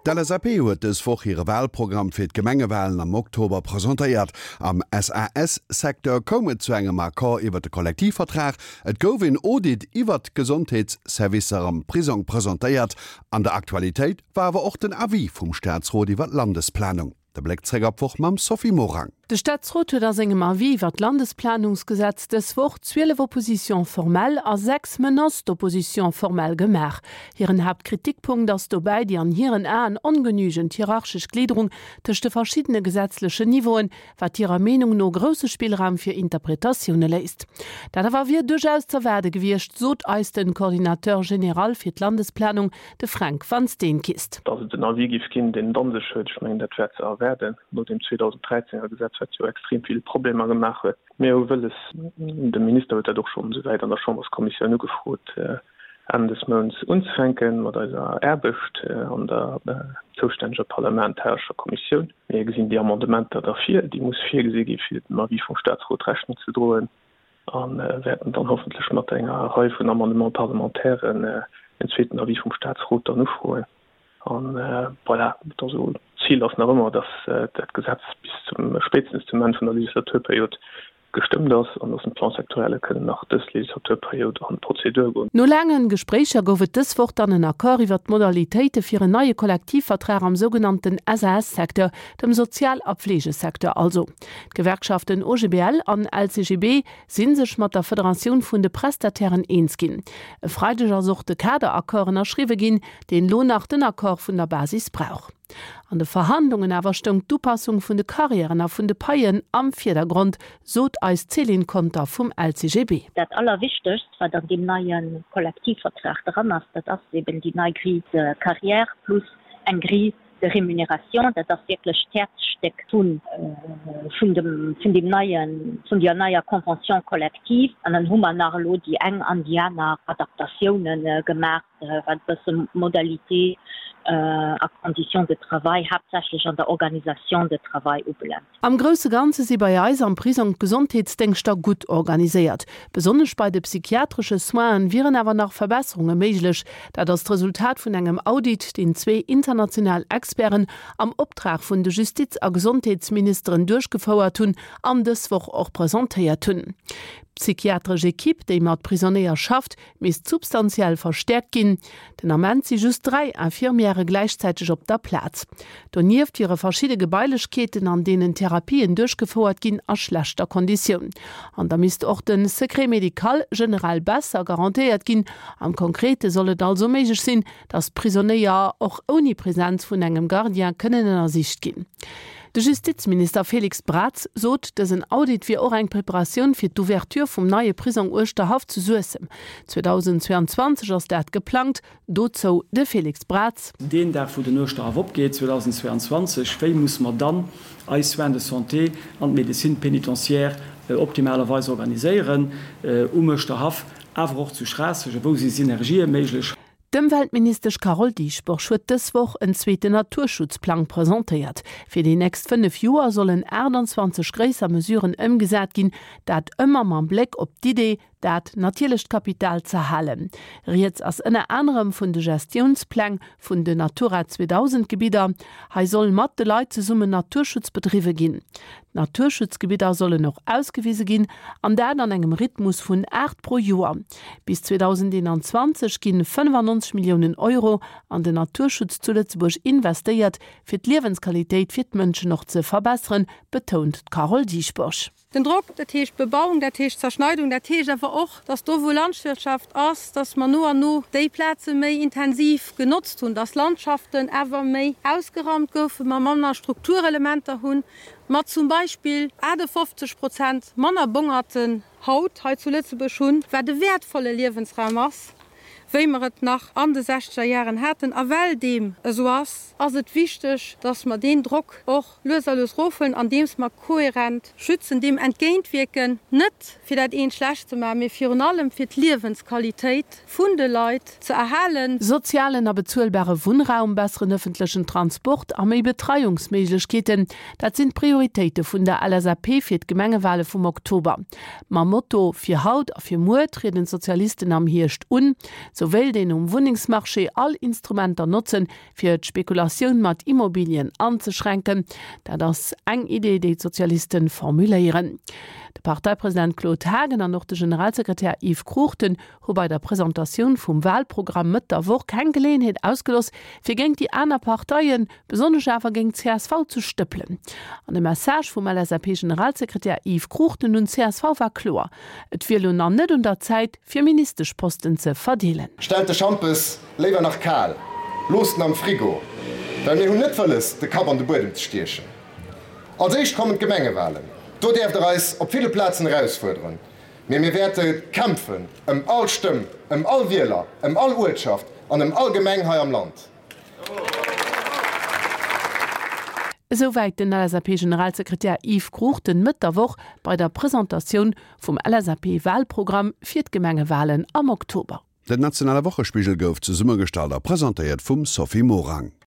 D'LSAP huet dës Woch hire Walprogramm fir d'Gemengewalen am Oktober presentéiert. Am SAS-Secteur koum et zu engem Accord iwwer de Kollektivvertrag, et gouf een Audit iwwert d'Gesondheetsservicer am Prisong presentéiert. An der Aktualitéit war awer och den Avis vum Staatsrot iwwer d'Landesplanung. De Bléck zréck op d'Woch mam Sophie Morang. De Staatsrot huet a sengem Avis iwwer d'Landesplanungsgesetz dës Woch 12 Oppositions formelles a 6 Menaces d'opposition formelle gemaach. Hiren Haaptkritikpunkt ass dobäi déi an hiren Aen ongenügend hierarchesch Gliederung tëscht de verschiddene gesetzlechen Niveauen, wat hirer Meenung no grousse Spillraum fir Interpretatioune léisst. Dat awer wier duerchaus z'erwaarde gewiescht, sot eis den Coordinateur général fir d'Landesplanung, De Fränk Van Steenkist. Datt et en Avis géif ginn, deen et an sech huet, ech mengen, dat war ze erwaarden, no deem 2013 er Gesetz, wat jo extrem vill Problemer gemaach huet. Mir hu wëlles, de Minister huet dat och schonn esouwäit an der Chamberskommissioun ugefrot, Enn des Mounts unzefänke mat eiser Aarbecht an der zoustänneger parlamentarescher Kommissioun. Mir gesinn déi Amendementer da vir, déi muss virgesi gi fir dem Avis vum Statsrot Rechnung ze droen. A wäerten dann hoffentlech mat enger Rei vun Amendements parlementairen en zweeten Avis vum Statsrot dann ufroen. A voilà, also d'Zil ass nach ëmmer, dass dat Gesetz bis zum, spéitstens zum Enn vun der Legislaturperiod gestëmmt ass an dass d'Plans-sectorielle kënnen nach dës Legislaturperiod an d'Prozedur goen. No laange Gespréicher gouf et dës Woch dann en Accord iwwer d'Modalitéite fir en neie Kollektivvertrag am sougenannten SAS-Secteur, dem Sozial a Pflegesecteur also. D'Gewerkschaften OGBL an LCGB si sech mat der Federatioun vun de Prestatairen eens ginn. E Freideg ass och de Kaderaccord ënnerschriwwe ginn, deen elo nach den Accord vun der Basis brauch. An de Verhandlungen awer stoung d'Upassung vun de Karriären a vun de Paien am Virdergrond, sot eis d'Céline Conter vum LCGB. Dat Allerwichtegst, wat an deem neie Kollektivvertrag dran ass, dat ass eben déi nei Grille de carrière plus eng Grille de rémunération, dat ass wierklech d'Häerzstéck vun vun dem vun deem neien, vun deer neier Convention collective. An dann hu mer nach elo déi eng an déi aner Adaptatiounen gemaach, wat e bësse Modalités a Conditions de travail, haaptsächlech an der Organisation de travail ubelaangt. Am grousse Ganze si bei eis am Prisong d'Gesondheetsdéngschter gutt organiséiert. Besonnesch bei de psychiatresche Soinen wieren awer nach Verbesserunge méiglech. Dat ass d'Resultat vun engem Audit, deen zwee international Experten am Optrag vun de Justiz a Gesondheetsministeren duerchgefouert hunn an dës Woch och presentéiert hunn. D'psychiatresch Ekipp, déi mat Prisonéier schafft, misst substantiell verstäerkt ginn. Den Ament si just 3 Infirmièrë gläichzäiteg op der Plaz. Donieft wiere verschidde Gebailechkeeten, an deenen Therapien duerchgefouert ginn, a schlechter Konditioun. An da misst och de Secret médical generell besser garantéiert ginn. Am Konkrete soll et also méiglech sinn, datt d'Prisonéier och ouni Presenz vun engem Gardien kënnen ënnersicht ginn. De Justizminister Félix Braz sot, dësen Audit wier och eng Preparatioun fir d'Ouverture vum neie Prisong Uerschterhaff zu Suessem. 2022 ass dat geplangt. Dozou de Félix Braz. Deen Dag wou den Uerschterhaff opgeet, 2022, wéi musse mer dann eis Soins de santé an d'Médecine pénitentiaire optimalerweis organiséieren um Uerschterhaff, awer och zu Schraasseg, a wou si Synergië méiglech? D'Ëmweltministesch Carole Dieschbourg huet dës Woch en zweeten Naturschutzplang presentéiert. Fir déi nächst 5 Joer sollen 28 gréisser Mesuren ëmgesat ginn, dat ëmmer mam Bléck op d'Idee, dat natierlecht Kapital z'erhalen. Rieds ass ënner anerem vun de Gestiounspläng vun den Natura 2000 Gebidder. Hei soll mat de Leit zesummen Naturschutz bedriwwe ginn. D'Naturschutzgebidder sollen och ausgewise ginn, an dat an engem Rhythmus vun 8 pro Joer. Bis 2021 ginn 95 Milliounen Euro an den Naturschutz zu Lëtzebuerg investéiert, fir d'Liewensqualitéit fir d'Mënschen och ze verbesseren, betount d'Carole Dieschbourg. Den Drock, dat heescht Bebauung, dat heescht Zerschneidung, dat heescht awer och, dass do wou Landwirtschaft ass, dass mer no an no déi Plaze méi intensiv genotzt hunn, dass Landschaften awer méi ausgeraumt goufen, mer manner Strukturelementer hunn, mer zum Beispill 58 Prozent manner Bongerten haut hei zu Lëtzebuerg hunn, wat e wäertvolle Liewensraum ass, wéi mer et nach an de sechzeger Jaren haten. A well deem esou ass, ass et wichteg, dass mer deen Drock och lues a lues erofhuelen, andeems mer kohärent schützen, deem entgéintwierken, net fir dat eent schlecht ze maachen, mee virun allem fir d'Liewensqualitéit vun de Leit ze erhalen. Sozialen a bezuelbare Wunnraum, besseren ëffentlechen Transport a méi Betreiungsméiglechkeeten, dat sinn d'Prioritéite vun der LSAP fir d'Gemengewale vum Oktober. Mam Motto Fir haut a fir muer trieden d'Sozialisten am Hierscht un. Sou wéilt een um Wunnengsmarché all Instrumenter notzen, fir d'Spekulatioun mat Immobilien anzeschränken. Dat ass eng Idee, déi d'Sozialiste formuléieren. De Parteipresident Claude Haagen an och de Generalsekretär Yves Cruchten hu bei der Presentatioun vum Walprogramm Mëtt der Woch keng Geleeënheet ausgeloss, fir géint déi aner Parteien, besonnesch awer géint csv ze stëppelen. An de Message vum LSAP-Generalsekretär Yves Cruchten un csv war kloer, Et wier elo nach net un der Zäit, fir Ministeschposten ze verdeelen. Stellt de Schampes léiwer nach kal, loosst en am Frigo, well mir hunn net wëlles de Kapp an de Buedem ze stiechen. Als éischt kommen d'Gemengewalen, do däerft der eis op ville Plazen erausfuerderen, mee mir wäerte kämpfen ëm all Stëmm, ëm all Wieler, ëm all Uertschaft an ëm all Gemeng hei am Land. Esouwäit den LSAP-Generalsekretär Yves Cruchten Mëtt der Woch bei der Presentatioun vum LSAP-Walprogramm fir d'Gemengewalen am Oktober. Den nationale Wochespigel gouf zesummegestallt a presentéiert vum Sophie Morang.